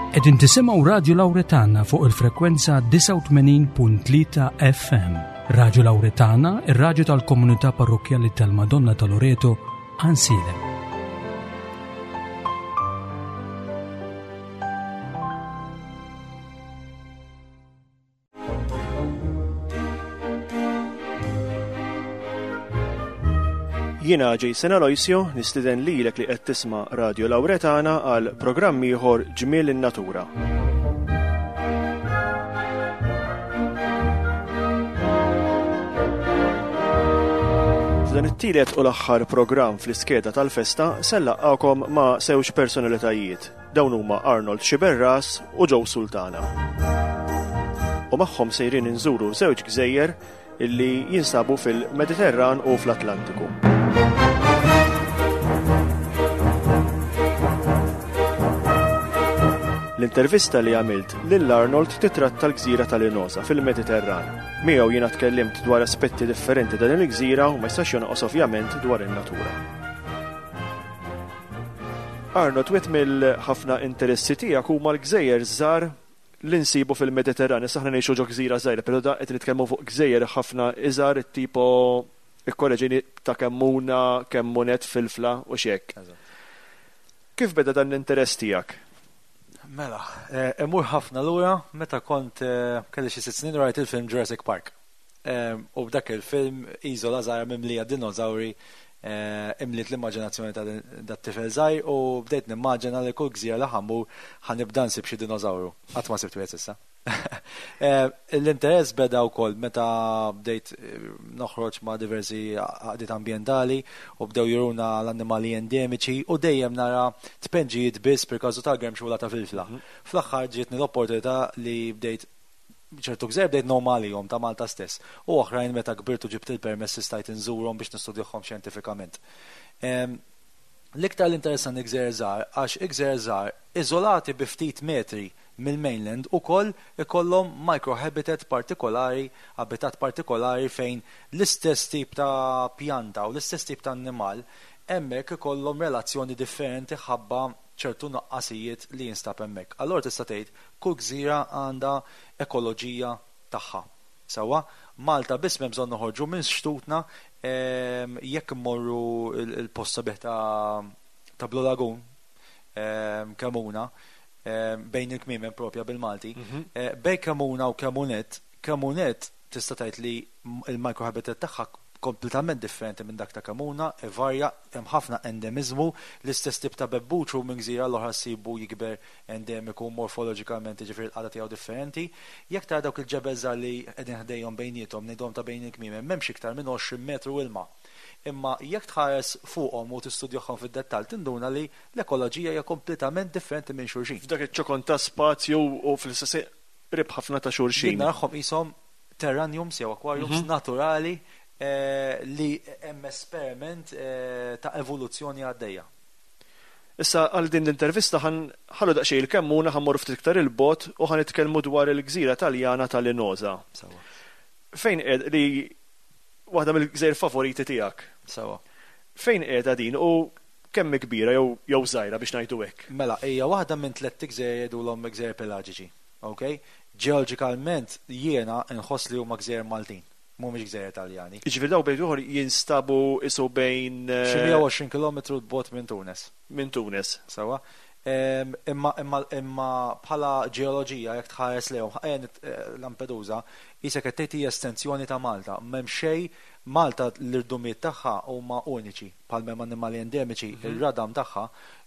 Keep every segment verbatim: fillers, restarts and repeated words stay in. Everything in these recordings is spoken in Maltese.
Qegħdin tisimgħu Radio Lauretana fuq il-frekwenza disgħa u tmenin punt tlieta F M. Radio Lauretana, ir-radju tal-komunità parrokkjali tal-Madonna ta' Loreto, Għajnsielem. Jiena Jason Aloisio, nistieden lilek li qed tisma' Radio Lauretana għal programm ieħor, Ġmiel in-Natura. F'dan it-tielet u l-aħħar programm fl-iskeda tal-festa se nlaqqagħkom ma' żewġ personalitajiet. Dawn huma Arnold Xiberras u Joe Sultana. U magħhom sejrin inżuru żewġ gżejjer illi jinsabu fil-Mediterran u fl-Atlantiku. L-intervista li għamilt lil Arnold titratta l-gżira tal-Linosa fil-Mediterran. Miegħu jiena tkellimt dwar aspetti differenti dan il-gżira u ma jistax jonqos ovvjament dwar in-natura. Arnold, wieħed mill-ħafna interessi tiegħek huma l-gżejjer żgħar li nsibu fil-Mediterran. Issa aħna ngħixu ġo gżira żgħira, però da qed nitkellmu fuq gżejjer ħafna iżgħar, tipo, ikkoreġini, ta' Kemmuna, Kemmunet, Filfla u xek. Kif beda dan l-interess tiegħek? Mela, eh, imur ħafna lura meta kont eh, kelli xi sitt snin, rajt il-film Jurassic Park. Eh, U b'dak il-film iżola żgħira mimlija dinożawri imliet l-immaġinazzjoni ta' dat-tifel żgħir u bdejt nimmaġina li kull gżira li ħa mmur ħa nibda nsib xi dinożawru. Qatt ma sibt wieħed s'issa. L-interess beda wkoll meta bdejt noħroġ ma' diversi għaqdiet ambjentali u bdew juruna l-annimali endemiċi u dejjem nara tpenġijiet biss, per każu tal-gremxula ta' Filfla. Fl-aħħar ġietni l-opportunità li bdejt ċertu gżejjer bdejt ngħum ta' Malta stess. U oħrajn meta kbirtu ġibt il-permess stajt inżurhom biex nistudjahom xjentifikament. L-iktar l-interessanti gżejjer żgħar, għax gżejjer żgħar iżolati bi ftit metri mill-mainland ukoll ikollhom microhabitat partikolari, abitat partikolari fejn l-istess tip ta' pjanta u l-istess tip ta' annimal hemmhekk ikollhom relazzjoni differenti ħabba ċertu nuqqasijiet li jinstab hemmhekk. Allora tista' tgħid kull gżira għandha ekoloġija tagħha. Sewwa, Malta biss m'hemm bżonn noħorġu minn xtutna, jekk immorru il-post sabiħ ta' ta' Blue Lagoon, Kemmuna, bejn il-kmiemen propja bil-Malti, eh, bejn Kemmuna u Kemmunet, Kemmunet tista' tgħid li il-microhabitat tagħha kompletament differenti minn dak ta' Kemmuna, varja, hemm ħafna endemizmu, l-istess tip ta' bebbuċu minn gżira l-oħra ssibu jikber endemiku morfoloġikament, ġifieri l-qagħda tiegħu differenti. Jekk tara dawk il-ġebel żgħar li qegħdin ħdejhom bejniethom, ngħidhom ta' bejn il-kmiem, m'hemmx iktar minn għoxrin metru ilma. Imma jekk tħares fuqhom u tistudjahom fid-dettall, tinduna li l-ekoloġija hija kompletament differenti minn xulxin. F'dak iċ-ċokon ta' spazju u fl-istess qrib ħafna ta' xulxin. Jien narahom qishom terrariums jew aquariums naturali eh, li hemm esperiment eh, ta' evoluzzjoni għaddejja. Issa għal din l-intervista ħa nħallu daqsxejn il-Kemmuna, ħa mmorru ftit iktar il-bogħod u ħa nitkellmu dwar il-gżira Taljana tal-Linosa. Sewwa. Fejn qed li waħda mill-gżejjer favoriti tiegħek? Sewwa. Fejn qiegħda din u kemm kbira jew jew żgħira, biex ngħidu hekk? Mela, hija waħda minn tliet gżejjer jgħidulhom gżejjer pelagiċi. Ok? Ġeoloġikalment jiena nħoss li huma gżejjer Maltin, mhumiex gżejjer Taljani. Jiġifieri daw bejn ieħor jinstabu isu bejn eh, Xi mija u għoxrin kilometru 'l bogħod minn Tunes. Minn Tunes. Sewwa. Em, Imma imma imma bħala ġeoloġija, jekk tħares lejhom, ejja nit- eh, Lampedusa qisek qed tgħid hija estensjoni ta' Malta. M'hemm xejn. Malta l-irdumiet tagħha huma uniċi, bħal m'hemm annimali endemiċi, ir-radam tagħha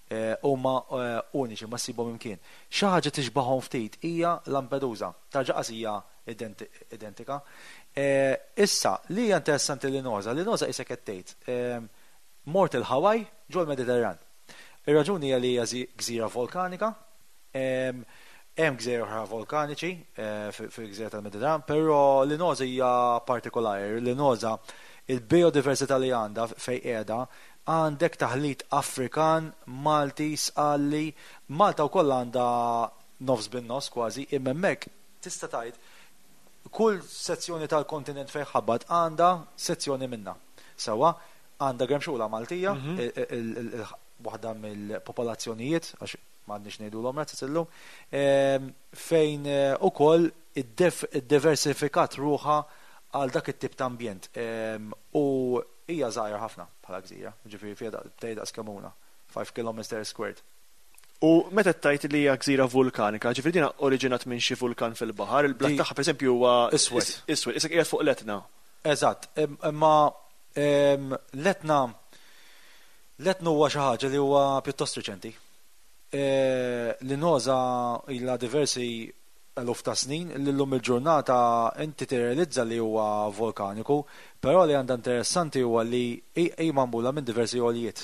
eh, huma eh, uniċi, ma ssibhom imkien. Xi ħaġa tixbahom ftit hija Lampedusa. Tarġa' hija identi- identika. Eh, Issa, li hija interessanti Linosa, Linosa qisek qed tgħid eh, mort il-Hawaii ġol Mediterran. Ir-raġuni hija li hija zi- gżira volkanika, em, hemm gżejjer oħra volkaniċi eh, fi- fil-gżira tal-Mediterran, però Linosa hija partikolari. Linosa, il-biodiversità li għandha fejn qiegħda, għandek taħlit Afrikan, Malti, Sqalli, Malta wkoll għandha nofs bin-nofs kważi, imma hemmhekk tista' tgħid kull sezzjoni tal-kontinent fejn ħabat għandha sezzjoni minna. Sewwa, għandha gremxula Maltija, il- il- il- il- waħda mill-popolazzjonijiet, għax M'għandniex ngħidulhom razzez illum, ehm, fejn eh, ukoll iddiversifikat ruħha għal dak it-tip ta' ambjent. Ehm, u hija żgħira ħafna bħala gżira, ġifieri fiha tgħid daqs Kemmuna, five kilometers squared. U meta tajt li hija gżira vulkanika, ġifieri dina oriġinat minn xi vulkan fil-baħar, il-blat Di- tagħha pereżempju huwa Iswed. is- Iswed, isek qiegħed fuq l-Etna. Eżatt, im- imma em, l-Etna l-Etna huwa xi ħaġa li huwa pjuttost riċenti. E, Linoża ilha diversi eluf ta' snin li llum il-ġurnata inti tirrealizza li huwa vulkaniku, però li għandha interessanti huwa li hi hi magħmula minn diversi għoljiet.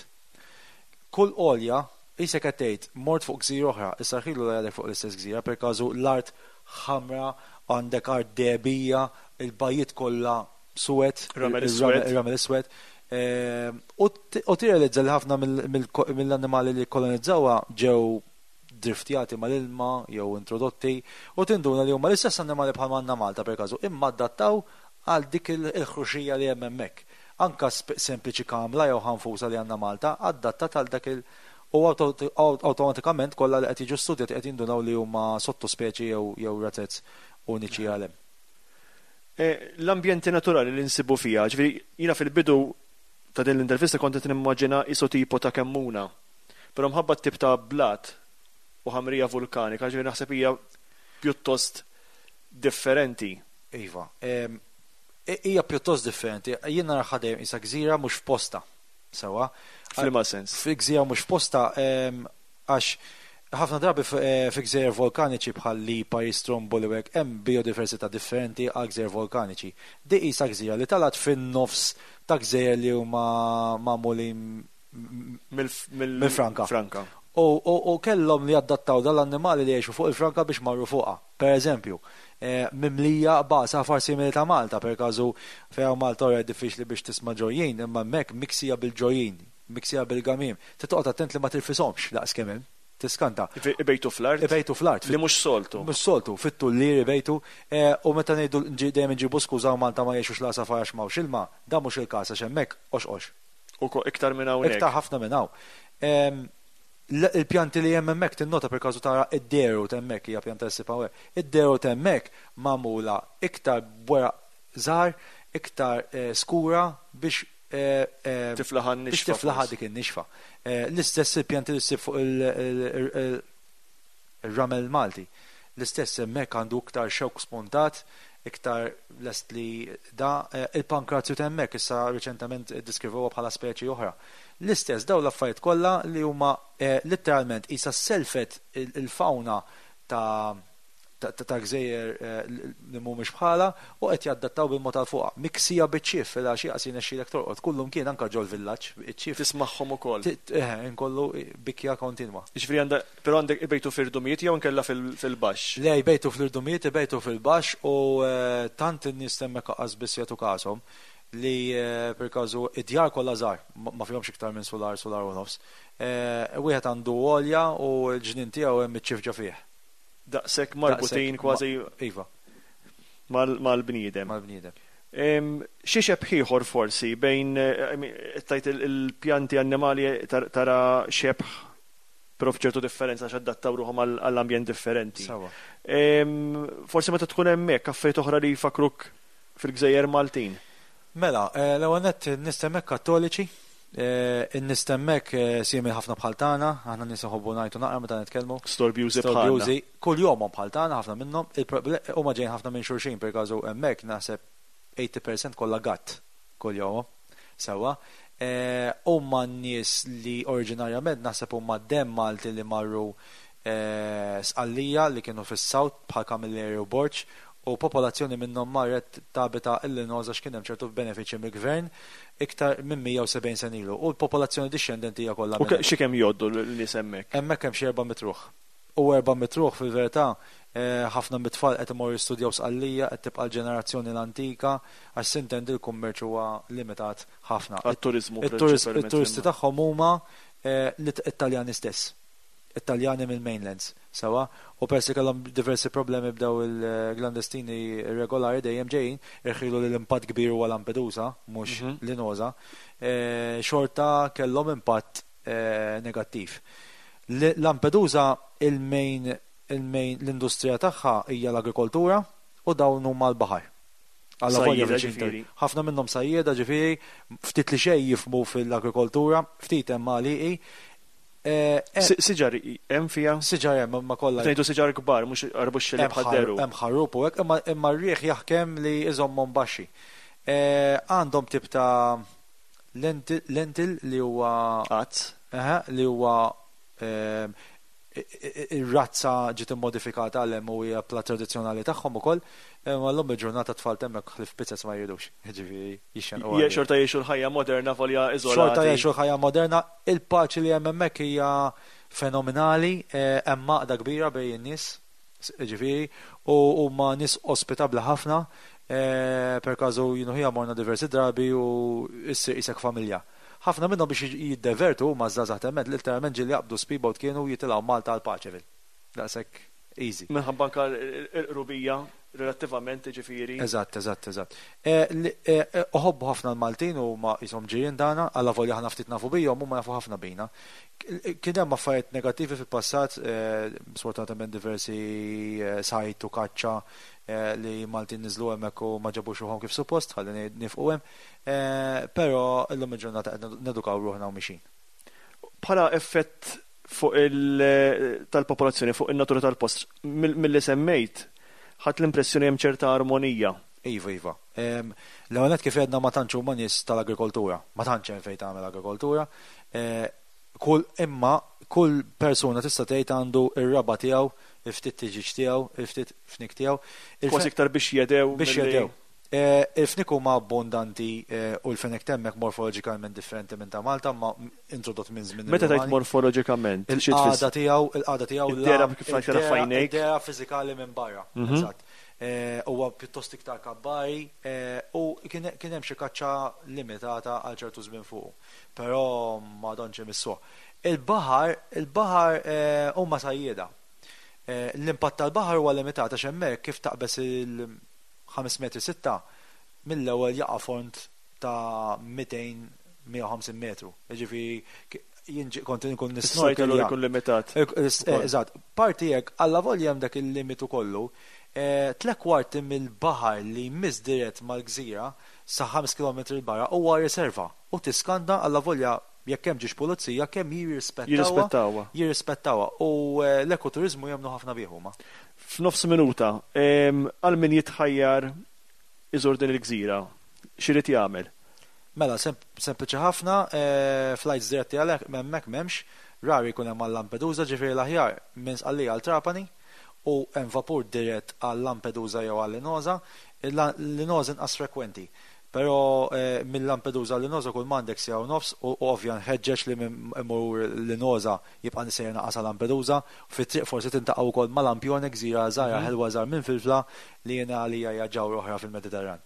Kull għolja qisek qed tgħid mort fuq gżira oħra, issa ħilu li għadek fuq l-istess gżira, per każu l-art ħamra, għandek art dehbija, il-bajjiet kollha suwed, Ramel il- iswed. il-ramel iswed. Ehm, U t- u tirrealizza li ħafna mill- mill- mill-annimali li kolonizzawha ġew driftjati mal-ilma jew introdotti u tinduna li huma l-istess annimali bħal għandna Malta per każu, imma adattaw għal dik il- il-ħruxija li hemm hemmhekk. Anka sp- sempliċi kamla jew ħanfusa li għandna Malta adattat għal dak il- u auto- awtomatikament kollha li qed jiġu studjati qed jindunaw li huma sottospeċi jew jew razez uniċi għalhem. Eh, L-ambjenti naturali li nsibu fija, ġifieri jiena fil-bidu ta' din l-intervista kont qed nimmaġina iso tipo ta' Kemmuna. Però mħabba tip ta' blat u ħamrija vulkanika, ġifieri naħseb hija pjuttost differenti. Iva, em, i- hija pjuttost differenti. Jien naraha dejjem isa gżira mhux f'posta. Sewa. F'liema sens. Fi gżira mhux f'posta em, għax ħafna drabi f- eh, fi gżejjer vulkaniċi bħal Lipari, Stromboli u hekk hemm biodiversità differenti għal gżejjer vulkaniċi. Di qisha gżira li talat fin-nofs ta' gżejjer li huma magħmulin Mill-Mill-franka. Franka. U, u, u kellhom li adattaw dal-annimali li jgħixu fuq il-franka biex marru fuqha. Per eżempju, eh, mimlija b'għasafar simili ta' Malta, per każu fejn Malta ora diffiċli biex tisma' ġojjin, imma hemmhekk miksija bil-ġojjin, miksija bil-gamim. Titoqgħod attent li ma tirfishomx daqs kemm hemm. Tiskanta. Ibejtu fl-art. Ibejtu fl-art. Li mhux soltu. Mhux soltu, fit-tullier ibejtu, eh, u meta ngħidu nġi- dejjem nġibu skuża u Malta ma jgħixux l-għasafar għax m'hawnx ilma, da mhux il-każ għax hemmhekk ox ox. U ko iktar minn hawnhekk. Iktar ħafna minn hawn. Em, l- Il-pjanti li hemm hemmhekk tinnota per każu tara id-deru t'hemmhekk hija pjanta ssib hawnhekk. Id-deru t'hemmhekk magħmula iktar b'weraq żgħar, iktar eh, skura biex eh, eh, Tiflaħa biex n-nixfa tiflaħa forsi. dik in-nixfa. Eh, L-istess il-pjanti li ssib fuq il- il- il- il-ramel Malti. L-istess hemmhekk għandu iktar xewk spuntat, iktar lest li da eh, il-pankrazju t'hemmhekk issa riċentement iddiskrivewha bħala speċi oħra. L-istess daw l-affarijiet kollha li huma eh, letteralment isa selfet il- il-fauna ta' ta' ta' ta' gżejjer eh, li mhumiex bħala u qed jaddattaw bil-mod tal fuqha. Miksija biċ-ċief fil-għaxija qas jirnexxielek torqod. Kullum kien anke ġol-villaġġ, iċ-ċief Tismagħhom ukoll. Ti- eh, inkollu bikja kontinwa. Ġifieri għandha però għandek ibejtu fir-rdumijiet jew nkella fil- fil-baxx. Le, jbejtu fl-irdumijiet, jbejtu fil-baxx u eh, tant in-nies hemmhekk qas biss jagħtu każhom li eh, per każu id-djar kollha żgħar, ma ma fihomx iktar minn sular, sular u nofs. Eh, Wieħed għandu għolja u l-ġnien tiegħu hemm iċ-ċief ġo fih. Daqshekk marbutin Daqshekk kważi ma- Iva, mal- mal-bniedem. mal-bniedem. Em, Xi xebh ieħor forsi bejn eh, I mean, tajt il- il-pjanti annimali tar- tara xebh però f'ċertu differenza għax adattaw ruħhom għall- għall-ambjent differenti. Sawa. Em, Forsi meta tkun hemmhekk affarijiet oħra li jfakruk fil-Gżejjer Maltin. Mela, eh, l-ewwel nett in-nies hemmhekk kattoliċi, eh, in-nies hemmhekk eh, simili ħafna bħal tagħna, aħna nies nħobbu ngħidu naqra meta nitkellmu. Storbjużi bħalna. Storbjużi, kull jomhom bħal tagħna ħafna minnhom, il-proble- huma ġejjin ħafna minn xulxin per każu hemmhekk naħseb tmenin fil-mija kollha gatt kull jomhom. Sewwa. Eh, Huma n-nies li oriġinarjament naħseb huma demm Malti li marru eh, Sqallija li kienu fis-South bħal Camilleri u Borg u popolazzjoni minnhom marret tabita il-Linoża x'kien hemm ċertu benefiċċji mill-gvern iktar minn mija u sebgħin sena ilu. U l-popolazzjoni dixxendenti hija kollha U minn ke- xi kemm jgħoddu l-nies hemmhekk? Hemmhekk hemm xi erba' mitt ruħ. U erba' mitt ruħ fil-verità eh, ħafna mit-tfal qed imorru jistudjaw Sqallija, qed tibqa' l-ġenerazzjoni l-antika, għax sintendi l-kummerċ huwa limitat ħafna. Għat-turiżmu Il-turist- prinċipalment. Il-turisti tagħhom huma eh, l-Italjani stess. Italjani mill-mainlands, sawa, u persi kellhom diversi problemi b'daw il-klandestini regolari dejjem ġejjin, irħilu li l-impatt kbir huwa Lampedusa, mhux Mhm. Linoża, eh, xorta kellhom impatt eh, negattiv. Lampedusa il-main il-main l-industrija tagħha hija l-agrikoltura u dawn huma l-baħar. Alla volja Sajjieda, viċin ġifieri. Ħafna minnhom sajjieda ġifieri, ftit li xejn jifhmu fil-agrikoltura, ftit hemm għalieqi. Eh, eh, Si- Siġar hemm fiha? Siġar hemm imma kollha Ngħidu siġar kbar, mhux arbuxxi li hemm ħar- bħadderu. hemm ħarrub u hekk, imma imma r-riħ jaħkem li iżommhom baxxi. Eh, Għandhom tip ta' lentil lentil li huwa Qatt. Aha, li huwa ehm, i- i- ir-razza ġiet immodifikata għal hemm u hija plat tradizzjonali tagħhom ukoll, imma llum il-ġurnata tfal hemmhekk ħlief pizzas ma jridux. Ġifieri jixxenqu Je għalihom. xorta jgħixu l-ħajja moderna volja iżolati. Xorta jgħixu l-ħajja moderna, il-paċi li hemm hemmhekk hija fenomenali, eh, hemm għaqda kbira bejn in-nies, ġifieri, u huma nies ospitabbli ħafna, eh, per każu jien u ħija morna diversi drabi u issir qisek familja. Ħafna minnhom biex jiddevertu huma żgħażagħ temment literalment ġieli jaqbdu speedboat kienu jitilgħu Malta għal Paċeville. Daqshekk easy. Minħabba anka l-qrubija relattivament ġifieri. Eżatt, eżatt, eżatt. Eh, li- eh, eh, Uħobbu ħafna l-Maltin u ma jisom ġirien tagħna, alla volja ħana ftit nafu bijhom u ma jafu ħafna bina. K- Kien hemm affarijiet negattivi fil-passat, eh, sfortunatament diversi eh, sajt u kaċċa eh, li Maltin niżlu hemmhekk u ma ġabux ruħhom kif suppost, ħalli ni- nifqu hemm. Eh, Però illum il-ġurnata qed nedukaw ruħna u mixin. Bħala effett fuq il tal-popolazzjoni, fuq in-natura tal-post, mill- mill-li semmejt, ħadd l-impressjoni hemm ċerta armonija. Iva, iva. Em, L-ewwel nett kif għedna ma tantx huma nies tal-agrikoltura, ma tantx hemm fejn tagħmel agrikoltura. Eh, Kull imma kull persuna tista' tgħid għandu ir-raba tiegħu, il-ftit tiġiġ tiegħu, il-ftit fnik tiegħu. Il-fe- Kważi iktar biex jedew. biex milli- jedew. Eh, Il-fnik huma abbondanti eh, u l-fenek temmek morfoloġikalment differenti minn ta' Malta, ma introdott minn żmien Meta tgħid ir-Rumani. morfoloġikament, xi Il-qagħda tfisser? tiegħu, il-qagħda tiegħu Id-dehra la- kif tara id-dehra- f'għajnejk. Id-dehra fiżikali minn barra. Mhm. Eżatt. Eh, Huwa pjuttost iktar kabbari eh, u kien kien hemm xi kaċċa limitata għal ċertu żmien fuq. Però ma donx imissuh. Il-baħar, il-baħar eh, huma sajjieda. Eh, L-impatt tal-baħar huwa limitat għax hemmhekk kif taqbes il-ħames metri sitta mill-ewwel jaqa' font ta' mitejn mija u ħamsin metru. Jiġifieri k- jien ġi- kont inkun Is-sajt allura nisnorkelja. jkun limitat. Eh, Eżatt, parti hekk alla volja hemm dak il-limitu kollu, eh, tle kwarti mill-baħar li jmiss dirett mal-gżira sa ħames kilometri 'l barra huwa riserva u tiskanda alla volja jekk hemm ġiex pulizija kemm jirrispettawha. Jirrispettawha. Jirrispettawha u eh, l-ekoturiżmu jemmnu ħafna bih huma. F'nofs minuta, em, għal min jitħajjar iżur din il-gżira, x'irid jagħmel? Mela, sem- sempliċi ħafna, eh, flights diretti għalhekk hemmhekk m'hemmx, rari jkun hemm għal Lampedusa, ġifieri l-aħjar minn Sqallija għal Trapani u hemm vapur dirett għal Lampedusa jew għal Linosa, Linosa inqas frekwenti. Però eh, minn Lampedusa għal Linosa kull m'għandek siegħa u nofs u u ovvja nħeġġeġ li minn imur Linosa jibqa' nisejjer naqas għal Lampedusa, fit-triq forsi tintaqgħu wkoll ma' Lampione, gżira żgħira ħelwa żgħar minn Filfla li jiena għalija hija ġawhra oħra fil-Mediterran.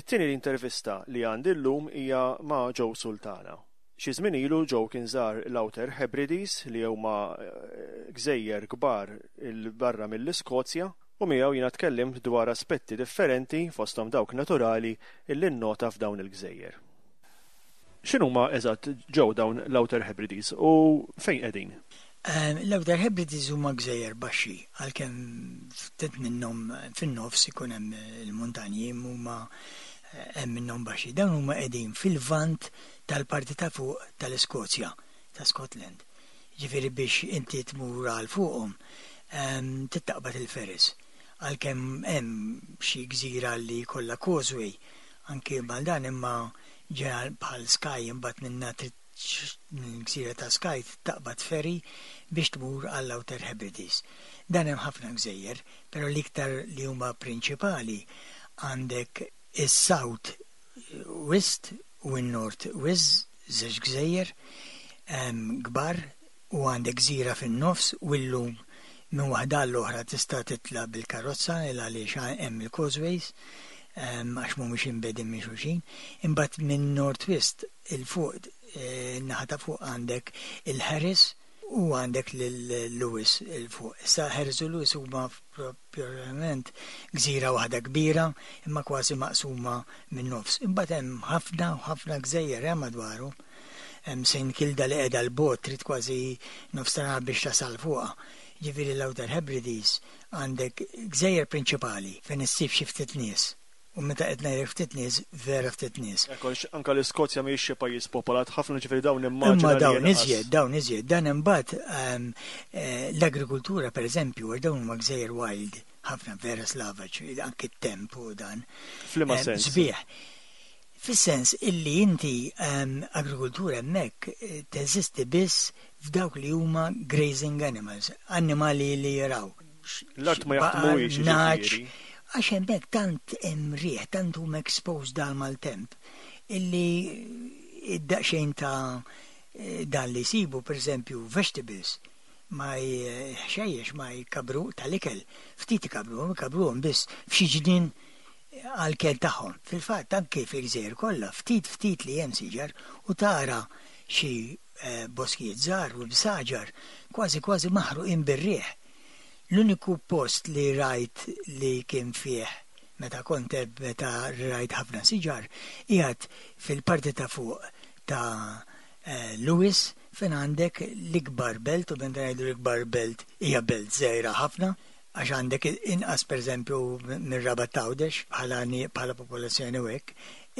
It-tieni intervista li għandi llum hija ma' Joe Sultana. Xi żmien ilu Joe kien żar l-Outer Hebrides, li huma eh, gżejjer kbar 'il barra mill-Iskozja, u miegħu jiena tkellimt dwar aspetti differenti, fosthom dawk naturali, illi nnota f'dawn il-gżejjer. X'inhuma eżatt, Joe, dawn l-Outer Hebrides u fejn qegħdin? Ehm, L-Outer Hebrides huma gżejjer baxxi, għalkemm ftit minnhom fin-nofs ikun hemm il-muntanji, huma eh, hemm minnhom baxxi. Dawn huma qegħdin fil-vant tal-parti ta' fuq tal-Iskozja, ta' Scotland. Ġifieri biex inti tmur għal fuqhom ehm, trid taqbad il-ferries. Għalkemm hemm xi gżira li kollha causeway anke mal dan, imma ġeneral bħal Skye, imbagħad minna trid gżira ta' Skye taqbad ferry biex tmur għall Outer Hebrides. Dan hemm ħafna gżejjer, però l-iktar li huma prinċipali għandek is-South West u n-North West, żewġ gżejjer em, kbar, u għandek gżira fin-nofs, u llum minn waħda l-oħra tista' titla' bil-karozza il għaliex hemm il-causeways em, għax mhumiex imbegħdin minn xulxin. Imbagħad minn North West 'il fuq, eh, naħa ta' fuq, għandek il-Harris u għandek l-Lewis 'il fuq. Issa Harris u Lewis huma propjament gżira waħda kbira imma kważi maqsuma minn nofs. Imbagħad hemm ħafna u ħafna gżejjer hemm madwaru. Hemm Saint Kilda li qiegħda 'l bogħod, trid kważi nofs ta' nhar biex tasal fuqha. Ġifieri l-Outer Hebrides għandek gżejjer prinċipali fejn issib xi ftit nies. U meta qed ngħidlek ftit nies, vera ftit nies. Ekku, anka l-Iskozja mhijiex xi pajjiż popolat ħafna, ġifieri dawn immaġina Imma li dawn inqas. iżjed, dawn iżjed, dan imbagħad ehm, eh, l-agrikultura pereżempju, għax dawn huma gżejjer wild, ħafna, vera slavaġ, anke t-temp u dan. F'liema Ehm, sens? Sbieħ. Fis-sens illi inti ehm, agrikultura hemmhekk eh, teżisti biss f'dawk li huma grazing animals, annimali li jiraw. L-art ma jaħdmuhiex, Baqar, nagħaġ, jiġifieri. għax hemmhekk tant hemm riħ, tant huma exposed dal maltemp, illi id-daqsxejn ta' eh, dan li jsibu, per eżempju, vegetables, ma ħxejjex ma jkabru tal-ikel, ftit ikabru, ikabruhom biss f'xi ġnien għall-ikel tagħhom. Fil-fatt anke fil-gżejjer kollha ftit ftit li hemm siġar u tara xi eh, boskijiet żgħar u bsaġar kważi kważi maħruqin bir-riħ. L-uniku post li rajt li kien fih meta kont hemm, meta rajt ħafna siġar, qiegħed fil-parti ta' fuq ta' eh, Lewis, fejn għandek l-ikbar belt, u meta ngħidu l-ikbar belt, hija belt żgħira ħafna għax għandek inqas pereżempju mir-Rabat Għawdex bħala ni- bħala popolazzjoni u hekk,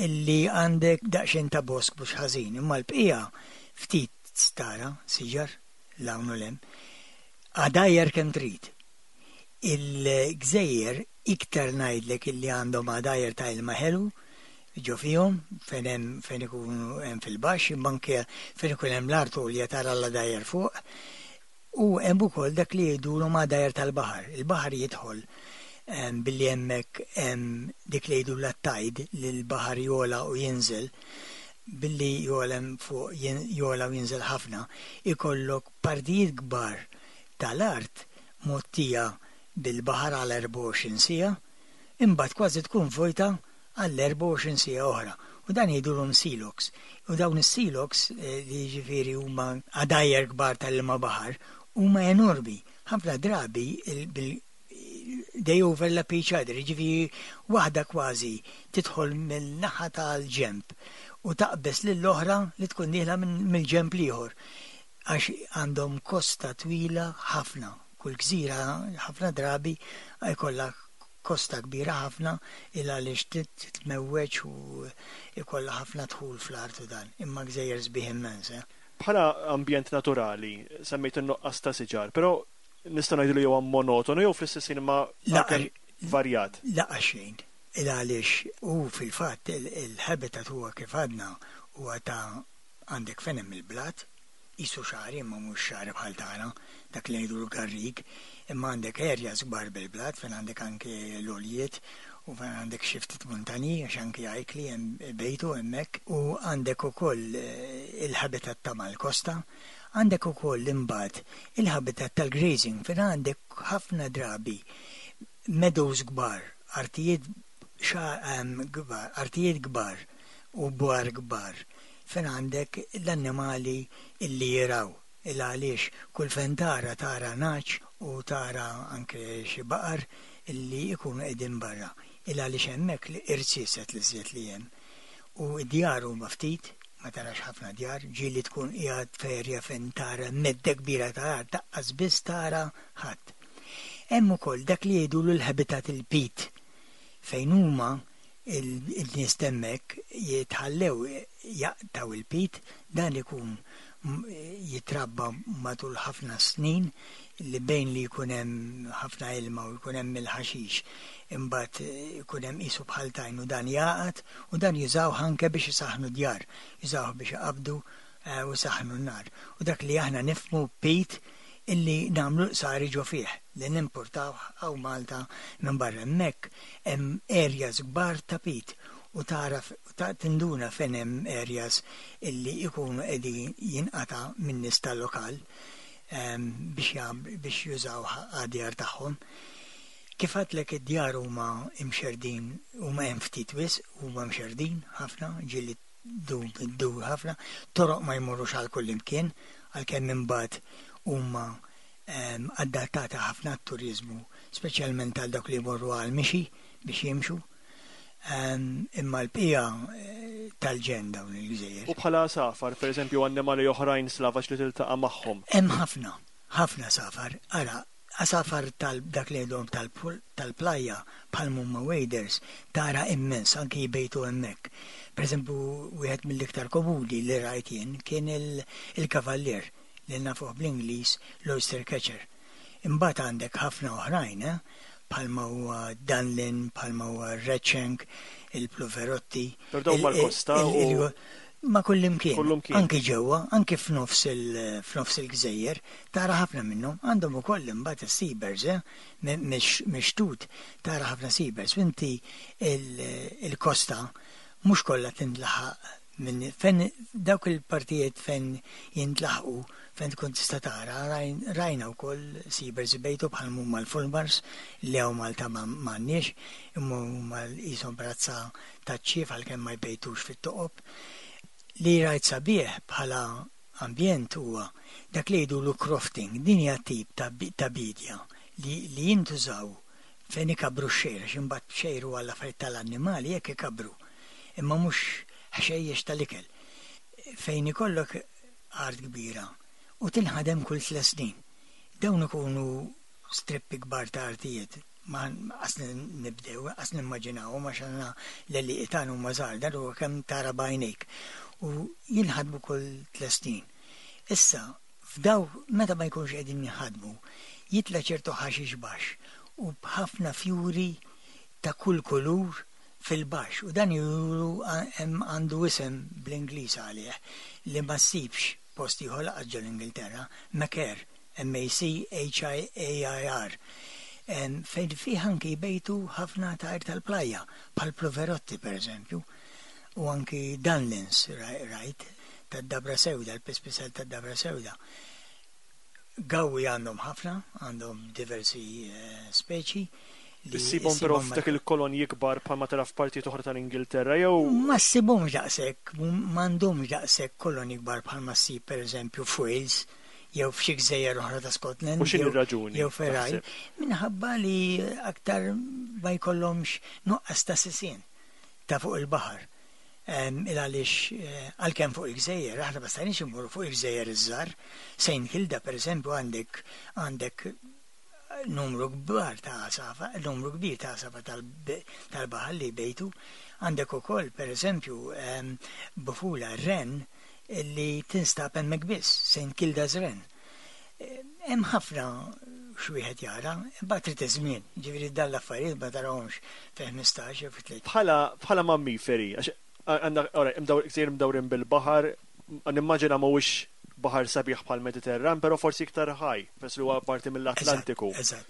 illi għandek daqsxejn ta' bosk mhux ħażin, imma l-bqija ftit tara siġar 'l hawn u 'l hemm. Għadajjar kemm trid. Il-gżejjer iktar ngħidlek illi għandhom għadajjar ta' ilma ħelu ġo fihom fejn hemm fejn ikunu hemm fil-baxx, imma anke fejn ikun hemm l-art għolja tara l-għadajjar fuq. U hemm ukoll dak li jgħidulhom għadajjar tal-baħar. Il-baħar jidħol em, billi hemmhekk hemm dik li jgħidu l-tide, li l-baħar jogħla u jinżel, billi jogħla fuq jogħla u jinżel ħafna, ikollok partijiet kbar tal-art mgħottija bil-baħar għal erbgħa u għoxrin siegħa, imbagħad kważi tkun vojta għal erbgħa u għoxrin siegħa oħra. U dan jgħidulhom sea lochs. U dawn is-sea lochs, eh, li ġifieri huma għadajjar kbar tal-ilma baħar, huma enormi. Ħafna drabi il- bil- they overlap each other, ġifieri waħda kważi tidħol mill-naħa tal-ġemp u taqbes lill-oħra li tkun dieħla minn- mill-ġemp l-ieħor. Għax għandhom kosta twila ħafna. Kull gżira ħafna drabi jkollha kosta kbira ħafna il għaliex titmewweġ u jkollha ħafna dħul fl-art u dan. Imma gżejjer sbieħ immens, eh? Bħala ambjent naturali, semmejt in-nuqqas ta' siġar, però nista' ngħidu li huwa monotonu jew fl-istess ħin ma La, anke varjat? Laqa xejn. Il għaliex u fil-fatt il-habitat huwa kif għadna, huwa ta' għandek fejn hemm il-blat, qisu xagħri imma mhux xagħri bħal tagħna, dak li ngħidu l-garrig, imma għandek areas kbar bil-blat fejn għandek anke l-għoljiet u fejn għandek xi ftit muntanji, għax anke ajkli hemm bejtu hemmhekk, u għandek ukoll eh, il-habitat ta' mal-kosta, għandek ukoll imbagħad il-habitat tal-grazing fejn għandek ħafna drabi meadows kbar, artijiet kbar, artijiet kbar u bwar kbar fejn għandek l-annimali illi jirgħu. Il għaliex kull fejn tara tara nagħaġ u tara anke xi baqar illi jkunu qegħdin barra. Il għaliex hemmhekk li irziezet li żjed li hemm. U d-djar huma ftit, ma tarax ħafna djar, ġieli tkun qiegħed f'erja fejn tara medda kbira ta' art, lanqas biss tara ħadd. Hemm ukoll dak li jgħidulu l-habitat, il-peat, fejn huma il-nies t'hemmhekk jitħallew jaqtgħu il-peat, dan ikun jitrabba matul ħafna snin li bejn li jkun hemm ħafna ilma u jkun hemm il-ħaxix, imbagħad jkun hemm qisu bħal tajn u dan jaqgħad u dan jużaw anke biex isaħnu djar, jużaw biex iqabdu eh, u saħnu n-nar. U dak li aħna nifhmu peat illi nagħmlu sari ġo fih li nimportaw hawn Malta minn barra, hemmhekk hemm areas kbar ta' peat u tara ta' tinduna fejn hemm areas illi ikunu qegħdin jinqata' minn nies tal-lokal biex biex jużaw għad-djar tagħhom. Kif għedtlek, id-djar huma imxerdin, huma hemm ftit wisq, huma mxerdin ħafna, ġieli dur ħafna, toroq ma jmorrux għal kull imkien, għalkemm imbagħad huma adattata ħafna turizmu, speċjalment għal dawk li jmorru għal mixi biex jimxu. Imma l-bqija eh, tal-ġenn dawn il-gżejjer. U bħala għasafar, per eżempju, annimali oħrajn slavaġ li tiltaqa' magħhom? Hemm ħafna, ħafna għasafar. Ara, għasafar tal dak li jgħidhom tal-plajja bħal mumma waders, tara immens, anki jbejtu hemmhekk. Per eżempju, wieħed mill-iktar komuni li rajt jien kien il-kavallier li nafuh bl-Ingliż l-oyster catcher. Imbagħad għandek ħafna oħrajn, eh? Bħalma huwa dunlin, bħalma huwa redshank, il-pluverotti. Per dawn mal-kosta u Ma kullimkien. Anki ġewwa, anki f'nofs il-gżejjer, tara ħafna minnhom. Għandhom ukoll imbagħad is-seabirds, eh? Mix-xtut tara ħafna seabirds. Inti il-kosta mhux kollha tintlaħaq minn fejn dawk il-partijiet fejn jintlaħqu, fejn tkun tista' tara, rajna wkoll seabirds ibejtu bħal huma l-fulmars li hawn Malta m'għandniex, imma huma qishom razza taċ-ċief għalkemm ma jbejtux fit-toqob. Li rajt sabiħ bħala ambjent huwa dak li jgħidulu crofting, din hija tip ta' bidja li, li jintużaw fejn ikabru x-xgħir, għax imbagħad xgħir huwa l-affarijiet tal-annimali jekk ikabru. Imma mhux ħxejjex tal-ikel. Fejn ikollok art kbira u tinħadem kull tliet snin. Dawn ikunu strippi kbar ta' artijiet. Ma qas nibdew, qas nimmaġinaw, ma xanna l-li tagħna huma żgħar, dan huwa kemm tara b'għajnejk. U jinħadmu kull tliet snin. Issa, f'daw meta ma jkunx qegħdin jinħadmu, jitla ċertu ħaxix baxx u b'ħafna fjuri ta' kull kulur fil-baxx, u dan juru għandu isem bl-Ingliż għalih li ma ssibx post ieħor lanqas ġol-Ingilterra, machair, M A C H I A I R. Fejn fih anki jbejtu ħafna tajr tal-plajja, bħal pluverotti per eżempju, u anki dunlins, rajt, tad-dabra sewda, l-pispisel tad-dabra sewda. Gawwi għandhom ħafna, għandhom diversi eh, speċi. Issibhom però f'dak il-kolonji kbar bħalma tara f'partijiet oħra tal-Ingilterra jew? Ma ssibhomx daqshekk, m'għandhomx daqshekk kolonji kbar bħalma ssib pereżempju f'Wales jew f'xi gżejjer oħra ta' Scotland. U x'inhi raġuni? Jew Ferraj. Minħabba li aktar ma jkollhomx nuqqas ta' sisien ta' fuq il-baħar. Il għaliex eh, għalkemm fuq il-gżejjer, aħna ma stajniex immorru fuq il-gżejjer iż-żgħar. Saint Kilda pereżempju għandek għandek numru kbar ta' għasafar, numru kbir ta' għasafar tal-baħar li jbejtu. Għandek ukoll pereżempju bufula wren li tinstab hemmhekk biss, Saint Kilda's Wren. Hemm ħafna x'wieħed jara, imbagħad trid iż-żmien, ġifieri dan l-affarijiet ma tarahomx fi ħmistax jew fi tliet. Bħala bħala mammiferi, għax għandna ora gżejjer mdawrin bil-baħar, nimmaġina mhuwiex baħar sabiħ bħal Mediterran, però forsi iktar ħaj, peress li huwa parti mill-Atlantiku. Eżatt.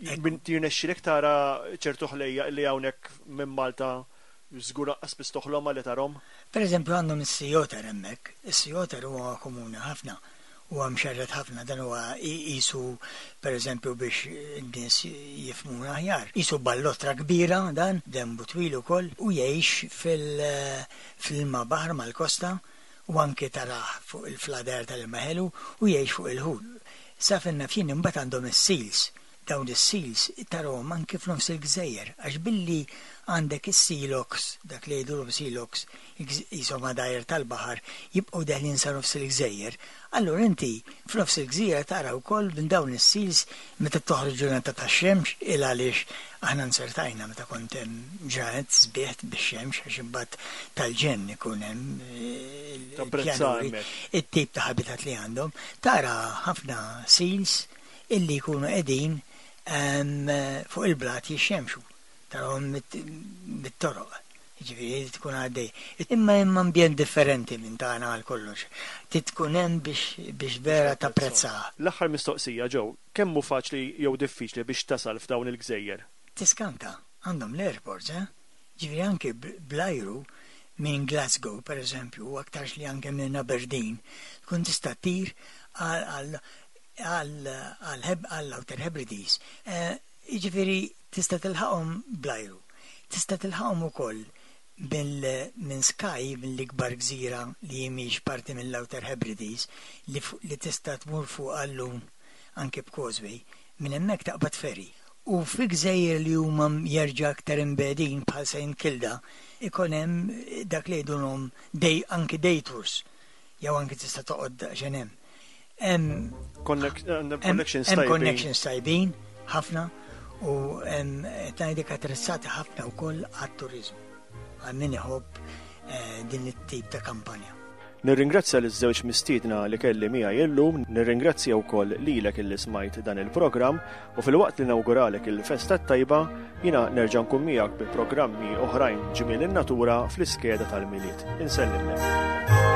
Jirnexxilek tara ċertu ħlejja li hawnhekk minn Malta żgur lanqas biss toħlomha li tarahom? Per eżempju, għandhom is-sea otter hemmhekk. Is-sea otter huwa komuni ħafna. Huwa mxerred ħafna, dan huwa qisu, pereżempju, biex n-nies jifhmuna aħjar. Qisu ballotra kbira dan, denbu twil ukoll, u jgħix fil-ilma baħar mal-kosta u anke tarah fuq il-flader tal-ilma ħelu u jgħix fuq il-ħut. Sa fejn naf jien imbagħad għandhom is-seals. Dawn is-seals tarahom anke f'nofs il-gżejjer, għax billi għandek is-sea lochs, dak li jgħidulhom sea lochs, qishom għadajjar tal-baħar, jibqgħu deħlin sa nofs il-gżejjer. Allura inti f'nofs il-gżira tara wkoll minn dawn is-seals meta toħroġ ġurnata tax-xemx, il għaliex aħna nsertajna meta kont hemm ġranet sbieħ bix-xemx, għax imbagħad tal-ġenn ikun hemm Tapprezza il-pjanuri, hemmhekk. It-tip ta' habitat li għandhom, tara ħafna seals illi jkunu qegħdin em, fuq il-blat jixxemxu, tarahom mit-toroq. Ġifieri tkun għaddej. Imma hemm ambjent differenti minn tagħna għal kollox. Trid tkun hemm biex biex vera tapprezza. L-aħħar mistoqsija, Joe, kemm hu faċli jew diffiċli biex tasal f'dawn il-gżejjer? Tiskanta, għandhom l-airports, eh? Ġifieri anke bl-ajru minn Glasgow, per eżempju, u aktarx li anke minn Aberdeen, tkun tista' ttir għal għal Outer Hebrides. Eh, Ġifieri tista' tilħaqhom bl-ajru. Tista' tilħaqhom ukoll minn Skye, mill-ikbar gżira li mhix parti mill-Outer Hebrides, li, li tista' tmur fuq għallum anke b'causeway, minn hemmhekk taqbad ferry. U fi gżejjer li huma jerġa' aktar imbegħdin bħal Saint Kilda, ikun hemm dak li jgħidulhom day, anke day tours, jew anke tista' toqgħod daqsxejn hemm. Hemm connections hemm connections tajbin ħafna u hemm qed ngħidlek attrezzati ħafna wkoll għat-turiżmu, għal min iħobb eh, din it-tip ta' kampanja. Nirringrazzja liż-żewġ mistiedna li kelli miegħi illum, nirringrazzja wkoll lilek illi smajt dan il-programm u filwaqt li nawguralek il-festa tajba, jiena nerġa' nkun miegħek bi programmi oħrajn Ġmiel in-Natura fl-iskeda tal-Milied. Insellimlek.